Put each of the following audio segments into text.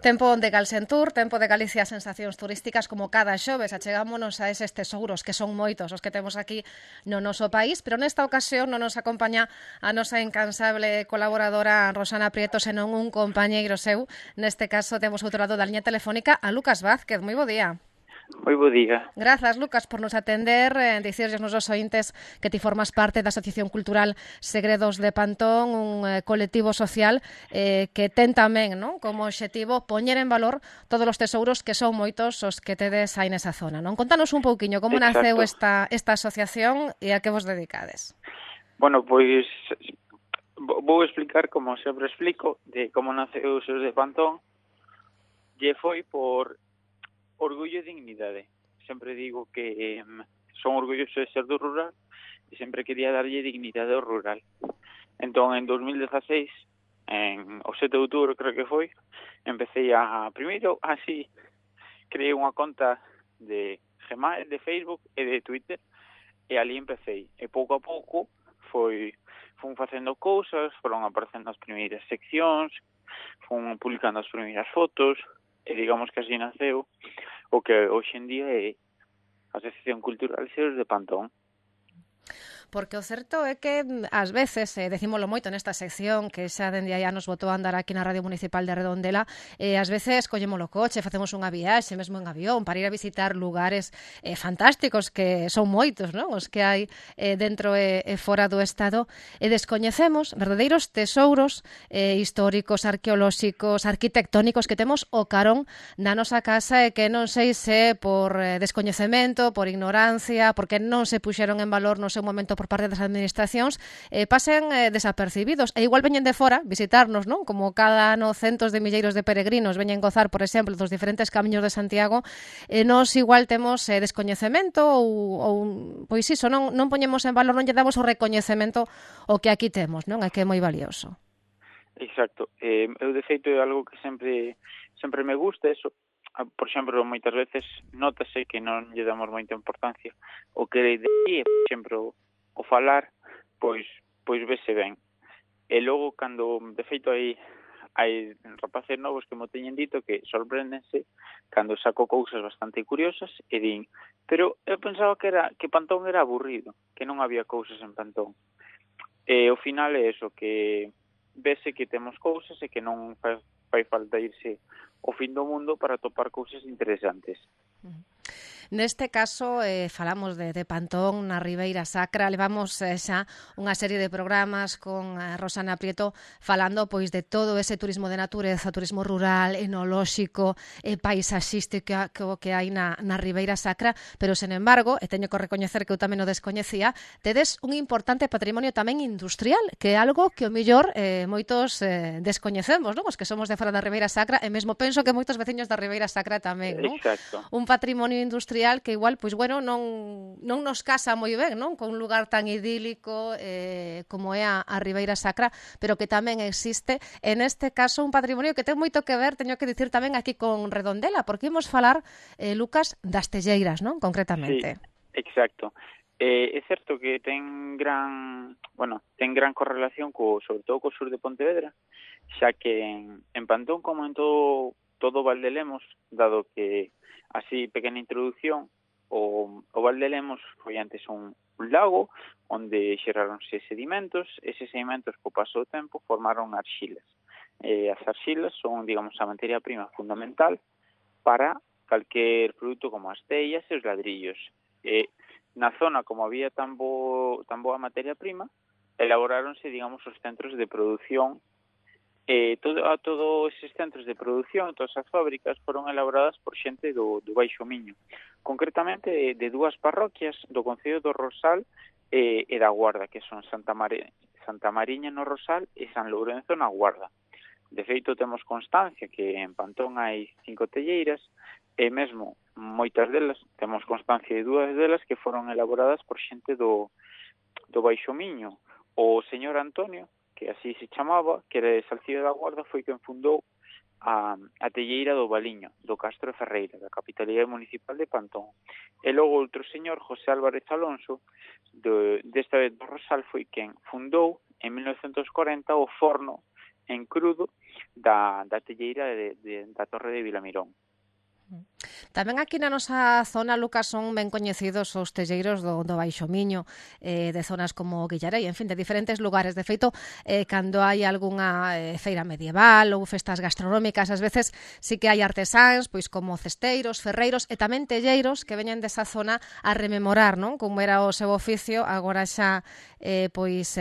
Tempo de Galsentur, tempo de Galicia sensacións turísticas como cada xoves achegámonos a eses tesouros que son moitos os que temos aquí no noso país, pero nesta ocasión non nos acompaña a nosa incansable colaboradora Rosana Prieto, senón un compañeiro seu. Neste caso temos outro lado da liña telefónica a Lucas Vázquez. Moi bo día. Moi bo día. Grazas, Lucas, por nos atender. Dicirles nos ointes que ti formas parte da Asociación Cultural Segredos de Pantón, un colectivo social que ten tamén, non, como obxectivo poñer en valor todos os tesouros que son moitos os que tedes aí nesa zona, non? Contanos un pouquiño como naceu esta asociación e a que vos dedicades. Bueno, pois vou explicar, como sempre explico, de como naceu os Segredos de Pantón. E foi por orgullo e dignidade. Sempre digo que son orgulloso de ser do rural e sempre quería darlle dignidade ao rural. Entón, en 2016, o 7 de outubro creo que foi, empecé primeiro así, creei unha conta de Gmail, de Facebook e de Twitter, e ali empecé. E pouco a pouco fun facendo cousas, foron aparecendo as primeiras seccións, fun publicando as primeiras fotos, e digamos que así naceu o que hoxe en día é a Asociación Cultural Segredos de Pantón. Porque o certo é que ás veces, decímolo moito nesta sección que xa dende aí anos botou a andar aquí na Radio Municipal de Redondela, ás veces collemos o coche, facemos unha viaxe, mesmo en avión, para ir a visitar lugares fantásticos, que son moitos, non? Os que hai dentro e fora do Estado, e descoñecemos verdadeiros tesouros históricos, arqueolóxicos, arquitectónicos que temos o carón da nosa casa e que non sei se por descoñecemento, por ignorancia, porque non se puxeron en valor no seu momento por parte das administracións, pasen desapercibidos. E igual veñen de fora visitarnos, non? Como cada ano centos de milleiros de peregrinos veñen gozar, por exemplo, dos diferentes camiños de Santiago, nós igual temos descoñecemento ou pois iso, non poñemos en valor, non lle damos o recoñecemento o que aquí temos, non? É que é moi valioso. Exacto. Eu, de feito, é algo que sempre me gusta, eso. Por exemplo, moitas veces notase que non lle damos moita importancia o que de aí, por exemplo, o falar, pois vese ben. E logo, cando, de feito, hai rapaces novos que mo teñen dito que sorpréndense cando saco cousas bastante curiosas e din, pero eu pensaba que Pantón era aburrido, que non había cousas en Pantón. E ao final é eso, que vese que temos cousas e que non fai falta irse ao fin do mundo para topar cousas interesantes. Neste caso, falamos de Pantón na Ribeira Sacra, levamos xa unha serie de programas con Rosana Prieto falando pois de todo ese turismo de natureza, turismo rural, enolóxico, paisaxístico que hai na Ribeira Sacra, pero, sen embargo, e teño que recoñecer que eu tamén o descoñecía, tedes un importante patrimonio tamén industrial, que é algo que o mellor moitos descoñecemos, non? Os que somos de fora da Ribeira Sacra, e mesmo penso que moitos veciños da Ribeira Sacra tamén, non? Exacto. Un patrimonio industrial que igual, pois bueno, non nos casa moi ben, non? Con un lugar tan idílico como é a Ribeira Sacra, pero que tamén existe, en este caso, un patrimonio que ten moito que ver, teño que dicir tamén aquí con Redondela, porque imos falar, Lucas, das telleiras, non? Concretamente. Sí, exacto. É certo que ten gran correlación sobre todo co sur de Pontevedra, xa que en Pantón, como en todo Val de Lemos, dado que así, pequena introducción, o Val de Lemos foi antes un lago onde xeraronse sedimentos. Eses sedimentos, co paso do tempo, formaron arxilas. As arxilas son, digamos, a materia prima fundamental para calquer produto como as tellas e os ladrillos. Na zona, como había tan boa materia prima, elaboráronse, digamos, os centros de produción. Todos eses centros de produción, todas as fábricas, foron elaboradas por xente do Baixo Miño, concretamente de dúas parroquias do Concello do Rosal e da Guarda, que son Santa Mariña no Rosal e San Lourenzo na Guarda. De feito, temos constancia que en Pantón hai 5 telleiras, e mesmo moitas delas, temos constancia de 2 delas que foron elaboradas por xente do Baixo Miño. O señor Antonio, que así se chamaba, que era de Salcida da Guarda, foi quen fundou a telleira do Valiño, do Castro de Ferreira, da Capitalidade Municipal de Pantón. E logo outro señor, José Álvarez Alonso, desta vez do Rosal, foi quen fundou en 1940 o forno en crudo da telleira da Torre de Vilamirón. Tamén aquí na nosa zona, Lucas, son ben coñecidos os telleiros do Baixo Miño, de zonas como Guillarei, en fin, de diferentes lugares. De feito, cando hai algunha feira medieval ou festas gastronómicas, ás veces sí que hai artesáns, pois como cesteiros, ferreiros e tamén telleiros que veñen desa zona a rememorar, non, como era o seu oficio, agora xa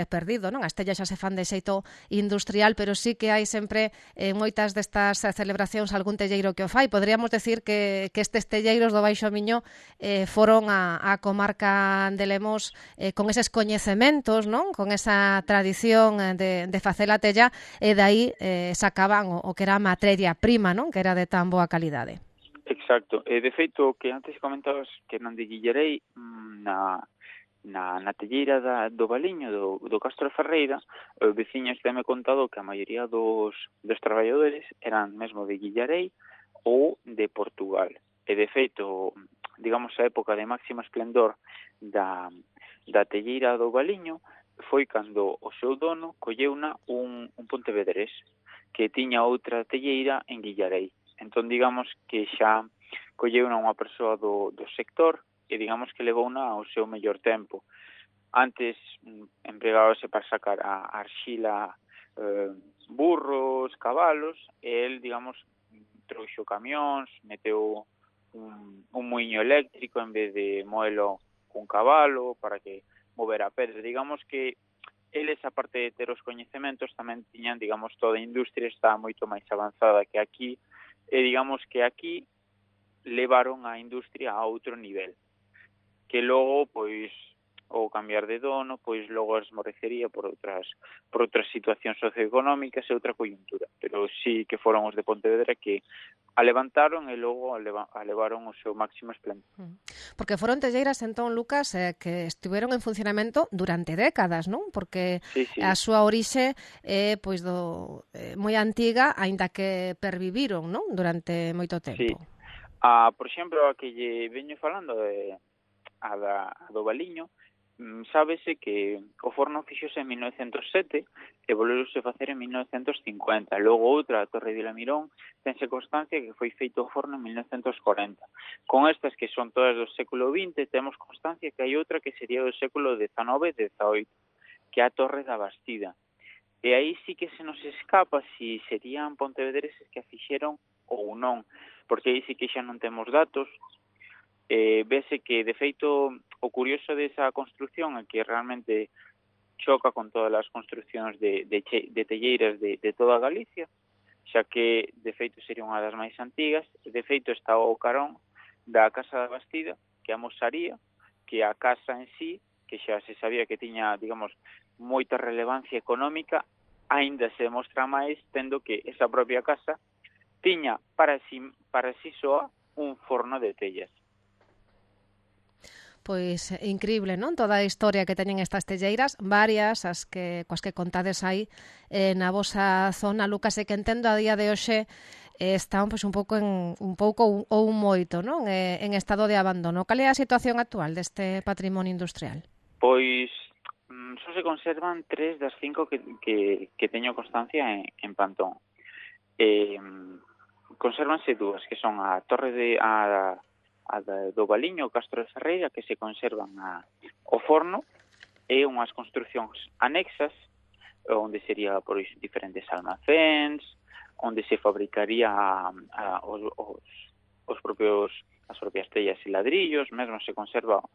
perdido, non? As tellas xa se fan de xeito industrial, pero sí que hai sempre moitas destas celebracións algún telleiro que o fai. Podríamos decir que estes telleiros do Baixo Miño foron a comarca de Lemos con eses coñecementos, non? Con esa tradición de facer a tella, e dai sacaban o que era a materia prima, non? Que era de tan boa calidade. Exacto. De feito, que antes comentabas que non de Guillarei, na telleira do Baliño, do Castro de Ferreira, os veciños teme contado que a maioría dos traballadores eran mesmo de Guillarei ou de Portugal. E, de feito, digamos, a época de máximo esplendor da telleira do Baliño foi cando o seu dono colleuna un pontevedrés que tiña outra telleira en Guillarei. Entón, digamos que xa colleuna unha persoa do sector e, digamos, que levouna ao seu mellor tempo. Antes empregábase para sacar a arxila, burros, cabalos, e el, digamos, trouxo camións, meteu un muiño eléctrico en vez de moelo cun cabalo para que mover a pedra. Digamos que eles, aparte de ter os coñecementos, tamén tiñan, digamos, toda a industria está moito máis avanzada que aquí, e digamos que aquí levaron a industria a outro nivel, que logo, pois, ou cambiar de dono, pois logo esmorecería por outras situacións socioeconómicas e outra coyuntura. Pero sí que foron os de Pontevedra que a levantaron e logo a levaron o seu máximo esplendor. Porque foron telleiras, entón, Lucas, que estiveron en funcionamento durante décadas, non? Porque sí. A súa orixe é pois moi antiga, aínda que perviviron, non? Durante moito tempo. Sí. Por exemplo, a que lle veño falando a do Baliño, sábese que o forno fixose en 1907 e volveuse facer en 1950. Logo outra, a Torre de Vilamirón, tense constancia que foi feito o forno en 1940. Con estas que son todas do século XX, temos constancia que hai outra que sería do século XIX e XVIII, que é a Torre da Bastida. E aí sí que se nos escapa si serían pontevedreses que a fixeron ou non, porque aí sí que xa non temos datos. Vese que, de feito, o curioso desa construción é que realmente choca con todas as construcións de telleiras de toda Galicia, xa que, de feito, sería unha das máis antigas. De feito, está o carón da Casa da Bastida, que é a Mosaría, que a casa en sí, que xa se sabía que tiña, digamos, moita relevancia económica, aínda se demostra máis tendo que esa propia casa tiña para sí soa un forno de tellas. Pois increíble, non? Toda a historia que teñen estas telleiras, varias coas que contades aí na vosa zona, Lucas, e que entendo a día de hoxe están pois un pouco ou moito, non? En estado de abandono. Cal é a situación actual deste patrimonio industrial? Pois só se conservan 3 das 5 que teño constancia en Pantón. Consérvanse 2, que son a Torre do Baliño, o Castro de Ferreira, que se conservan o forno, e unhas construcións anexas, onde sería por diferentes almacéns, onde se fabricaría as propias tellas e ladrillos, mesmo se conserva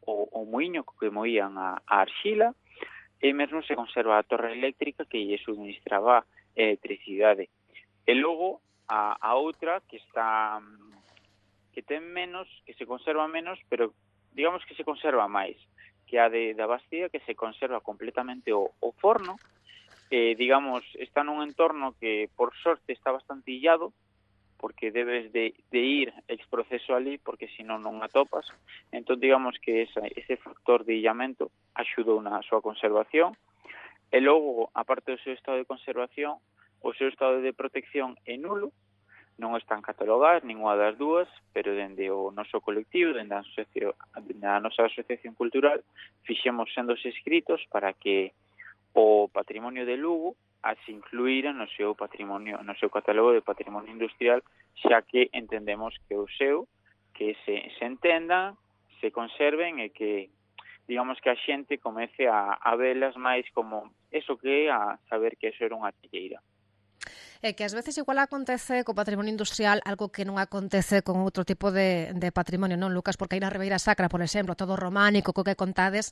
o muiño que moían a arxila, e mesmo se conserva a torre eléctrica que lle suministraba electricidade. E logo a outra que está que ten menos, que se conserva menos, pero digamos que se conserva máis, que a da Bastida, que se conserva completamente o forno, digamos, está nun entorno que por sorte está bastante illado, porque debes de ir ex proceso ali, porque senón non atopas. Entón, digamos que ese factor de illamento axudou na súa conservación. E logo, aparte do seu estado de conservación, o seu estado de protección é nulo, non están catalogadas ninguna das dúas, pero dende o noso colectivo, dende a nosa asociación cultural, fixemos sendos escritos para que o patrimonio de Lugo as incluíra no seu patrimonio, no seu catálogo de patrimonio industrial, xa que entendemos que o seu, que se entendan, se conserven e que, digamos, que a xente comece a velas máis como eso que é, a saber que eso era unha telleira. É que ás veces igual acontece co patrimonio industrial algo que non acontece con outro tipo de patrimonio, non, Lucas? Porque aí na Ribeira Sacra, por exemplo, todo románico, co que contades,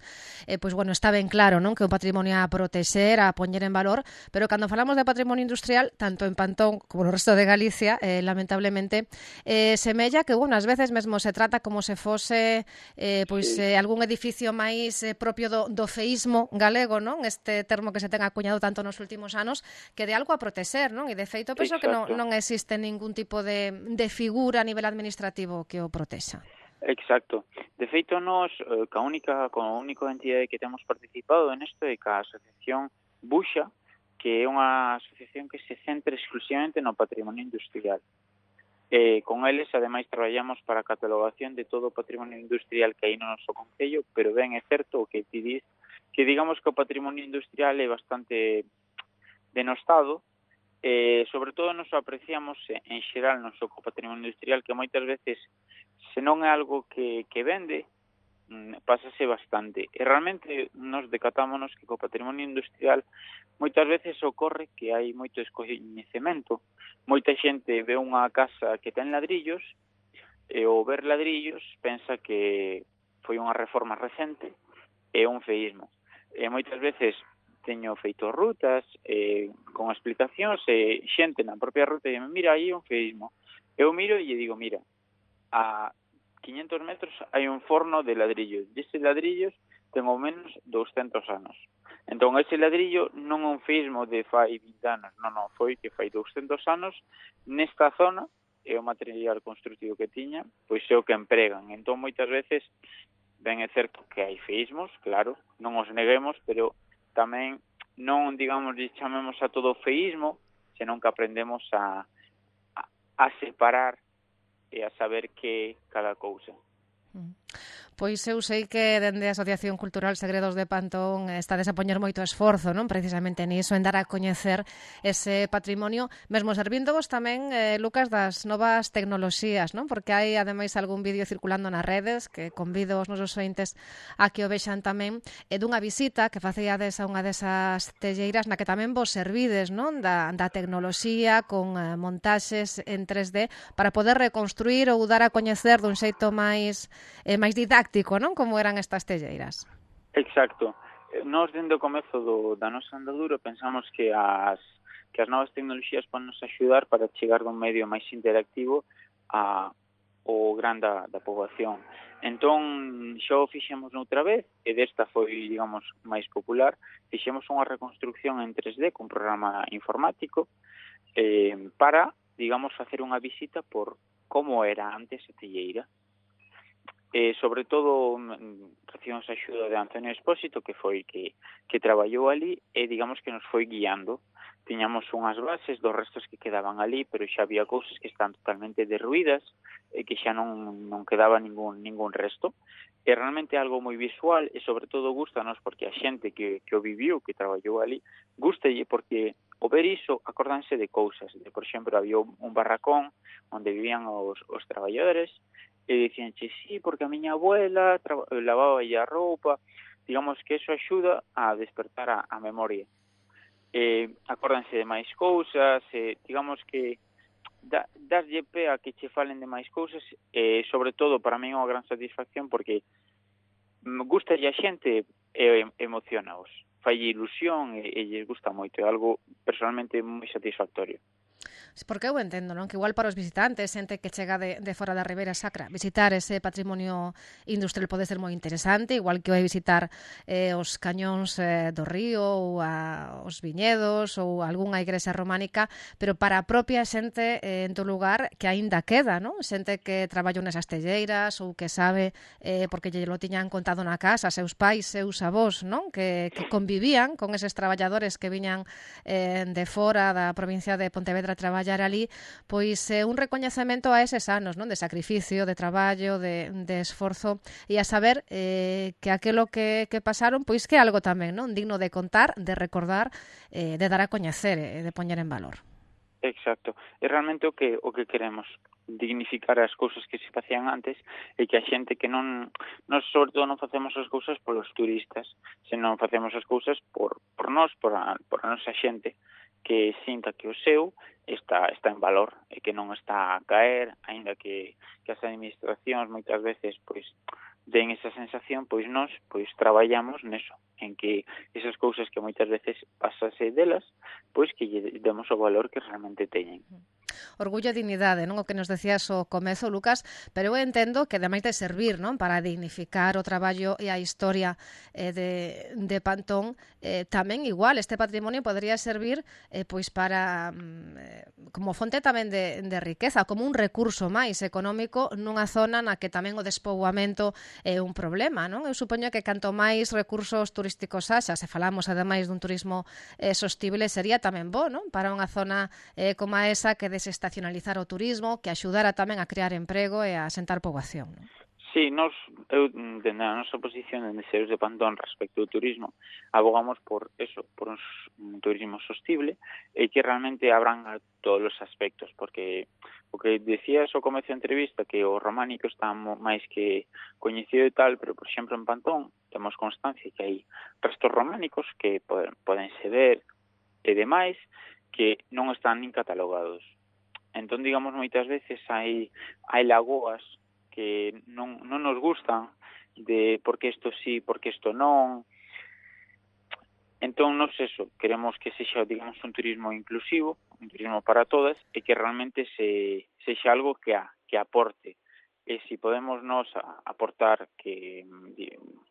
pois, bueno, está ben claro, non? Que é un patrimonio a protexer, a poñer en valor, pero cando falamos de patrimonio industrial, tanto en Pantón como no resto de Galicia, lamentablemente, semella que, bueno, ás veces mesmo se trata como se fose algún edificio máis propio do feísmo galego, non? Este termo que se ten acuñado tanto nos últimos anos, que de algo a protexer, non? De feito, penso que non existe ningún tipo de figura a nivel administrativo que o protexa. Exacto. De feito, nós, ca única entidade que temos participado en isto é ca Asociación Buxa, que é unha asociación que se centra exclusivamente no patrimonio industrial. Con eles, ademais, traballamos para a catalogación de todo o patrimonio industrial que hai no noso concello, pero ben é certo o que ti dis, que digamos que o patrimonio industrial é bastante denostado. Sobre todo nos apreciamos en xeral no noso patrimonio industrial, que moitas veces, se non é algo que vende, pásase bastante. E realmente nos decatámonos que co patrimonio industrial moitas veces ocorre que hai moito descoñecemento. Moita xente ve unha casa que ten ladrillos e ao ver ladrillos pensa que foi unha reforma recente e un feísmo. E moitas veces teño feito rutas con explicacións e xente na propia ruta e mira, aí un feísmo. Eu miro e lle digo, mira, a 500 metros hai un forno de ladrillos. E ese ladrillos ten ao menos 200 anos. Entón, ese ladrillo non é un feísmo de fai 20 anos, non, foi que fai 200 anos nesta zona e o material construtivo que tiña, pois é o que empregan. Entón, moitas veces, ben é certo que hai feísmos, claro, non os neguemos, pero tamén non, digamos, chamemos a todo feísmo, senón que aprendemos a separar e a saber que cada cousa. Pois eu sei que dende a Asociación Cultural Segredos de Pantón estades a poñer moito esforzo, non? Precisamente niso, en dar a coñecer ese patrimonio, mesmo servíndovos tamén, Lucas, das novas tecnoloxías, non? Porque hai, ademais, algún vídeo circulando nas redes que convido os nosos ointes a que o vexan tamén, dunha visita que facíades a unha desas telleiras na que tamén vos servides, non? Da tecnoloxía con montaxes en 3D para poder reconstruir ou dar a coñecer dun xeito máis didáctico, non? Como eran estas telleiras. Exacto. Nós, dende o comezo da nosa andadura, pensamos que as novas tecnoloxías poden nos axudar para chegar dun medio máis interactivo ao gran da poboación. Entón, xa o fixemos noutra vez, e desta foi, digamos, máis popular. Fixemos unha reconstrucción en 3D con programa informático para, digamos, facer unha visita por como era antes a telleira. Sobre todo recibimos a axuda de Antonio Espósito, que foi que traballou ali e digamos que nos foi guiando. Tiñamos unhas bases dos restos que quedaban ali, pero xa había cousas que están totalmente derruídas e que xa non quedaba ningún resto. E realmente algo moi visual e sobre todo gustanos porque a xente que o viviu, que traballou ali, gustalle porque ao ver iso acordanse de cousas. Por exemplo, había un barracón onde vivían os traballadores e dicíanche, sí, porque a miña abuela lavaba a roupa. Digamos que eso axuda a despertar a memoria. Acórdanse de máis cousas, digamos que daslle pé a que che falen de máis cousas, e sobre todo para mí é unha gran satisfacción porque gustalle a xente e emocionaos, fai ilusión e lles gusta moito, é algo personalmente moi satisfactorio. Porque eu entendo, non? Que igual para os visitantes, xente que chega de fora da Ribeira Sacra, visitar ese patrimonio industrial pode ser moi interesante, igual que vai visitar os cañóns do río ou os viñedos ou algunha igrexa románica, pero para a propia xente en todo lugar que aínda queda, non? Xente que traballou nesas telleiras ou que sabe, porque lle lo tiñan contado na casa, seus pais, seus avós, non? Que convivían con eses traballadores que viñan de fora da provincia de Pontevedra a traballar traballar ali, pois un recoñecemento a eses anos, non? De sacrificio, de traballo, de esforzo, e a saber que aquilo que pasaron, pois que é algo tamén, non? Digno de contar, de recordar, de dar a coñecer e de poñer en valor. Exacto. É realmente o que queremos, dignificar as cousas que se facían antes e que a xente que non sobre todo non facemos as cousas polos turistas, senón facemos as cousas por nós, por a nosa xente, que sinta que o seu está en valor e que non está a caer, aínda que as administracións moitas veces pois den esa sensación, pois nós pois traballamos neso, en que esas cousas que moitas veces pasase delas, pois que lle demos o valor que realmente teñen. Orgullo e dignidade, non? O que nos decías ao comezo, Lucas, pero eu entendo que ademais de servir, non, para dignificar o traballo e a historia de Pantón, tamén igual este patrimonio podría servir pois para como fonte tamén de riqueza, como un recurso máis económico nunha zona na que tamén o despoboamento é un problema, non? Eu supoño que canto máis recursos turísticos haxa, se falamos ademais dun turismo sostible, sería tamén bo, non? Para unha zona como esa que desestacionalizar o turismo, que axudara tamén a crear emprego e a asentar poboación, non? Sí, eu, dende a nosa posición de Seus de Pantón respecto ao turismo, abogamos por un turismo sostible e que realmente abranga todos os aspectos, porque o que decías ao comezo da entrevista, que o románico está máis que coñecido e tal, pero, por exemplo, en Pantón temos constancia que hai restos románicos que podense ver e demais que non están nin catalogados. Entón, digamos, moitas veces hai lagoas que non nos gustan, de porque isto sí, porque isto non. Entón, nos eso, queremos que sexa, digamos, un turismo inclusivo, un turismo para todas, e que realmente sexa algo que aporte. E se podemos nos aportar que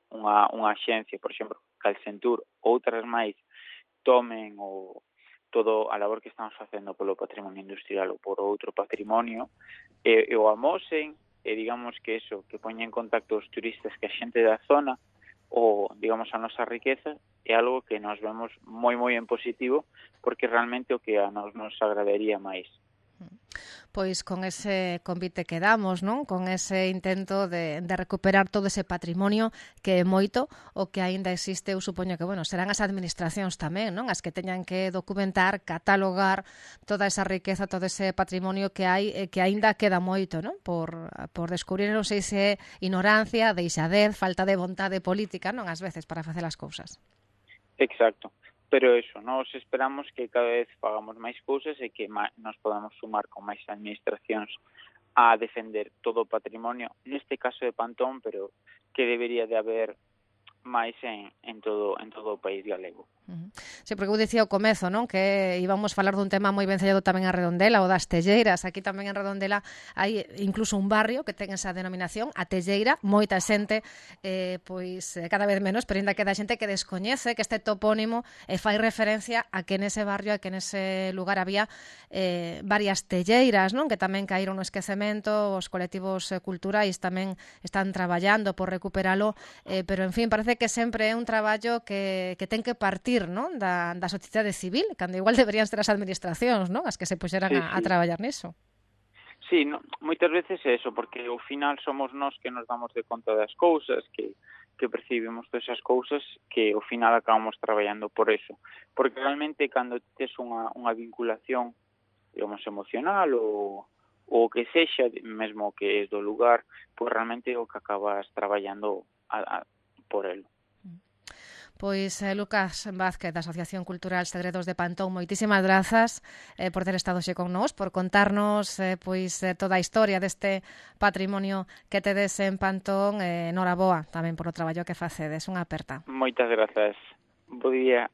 unha axencia, por exemplo, Calcentur, outras máis, tomen todo a labor que estamos facendo polo patrimonio industrial ou por outro patrimonio, e o amosen, e digamos que que poña en contacto os turistas que a xente da zona, ou, digamos, a nosa riqueza, é algo que nos vemos moi en positivo, porque realmente o que a nos agradaría máis. Pois con ese convite que damos, non? Con ese intento de recuperar todo ese patrimonio que é moito o que aínda existe, eu supoño que, bueno, serán as administracións tamén, non? As que teñan que documentar, catalogar toda esa riqueza, todo ese patrimonio que hai e que aínda queda moito, non? Por descubrir, non sei se é ignorancia, deixadez, falta de vontade política, non? Ás veces para facer as cousas. Exacto. Pero nós esperamos que cada vez fagamos máis cousas e que nos podamos sumar con máis administracións a defender todo o patrimonio, neste caso de Pantón, pero que debería de haber máis en todo o país galego. Sí, porque eu dicía ao comezo, non, que íbamos falar dun tema moi vencellado tamén a Redondela, o das telleiras. Aquí tamén en Redondela hai incluso un barrio que ten esa denominación, a Telleira. Moita xente, pois cada vez menos, pero ainda queda xente que descoñece que este topónimo fai referencia a que nese barrio, a que nese lugar había varias telleiras, non, que tamén caíron no esquecemento. Os colectivos culturais tamén están traballando por recuperalo, pero en fin, parece que sempre é un traballo que ten que partir, non, da sociedade civil, cando igual deberían ser as administracións, non, as que se puxeran a traballar niso. Sí, moitas veces é eso, porque ao final somos nós que nos damos de conta das cousas, que percibimos todas esas cousas, que ao final acabamos traballando por eso. Porque realmente cando tes unha vinculación, digamos, emocional ou que sexa, mesmo que é do lugar, pois realmente é o que acabas traballando por el. Pois Lucas Vázquez, da Asociación Cultural Segredos de Pantón, moitísimas grazas por ter estado xe con nós, por contarnos toda a historia deste patrimonio que tedes en Pantón. Noraboa tamén por o traballo que facedes. Unha aperta. Moitas grazas. Bo día.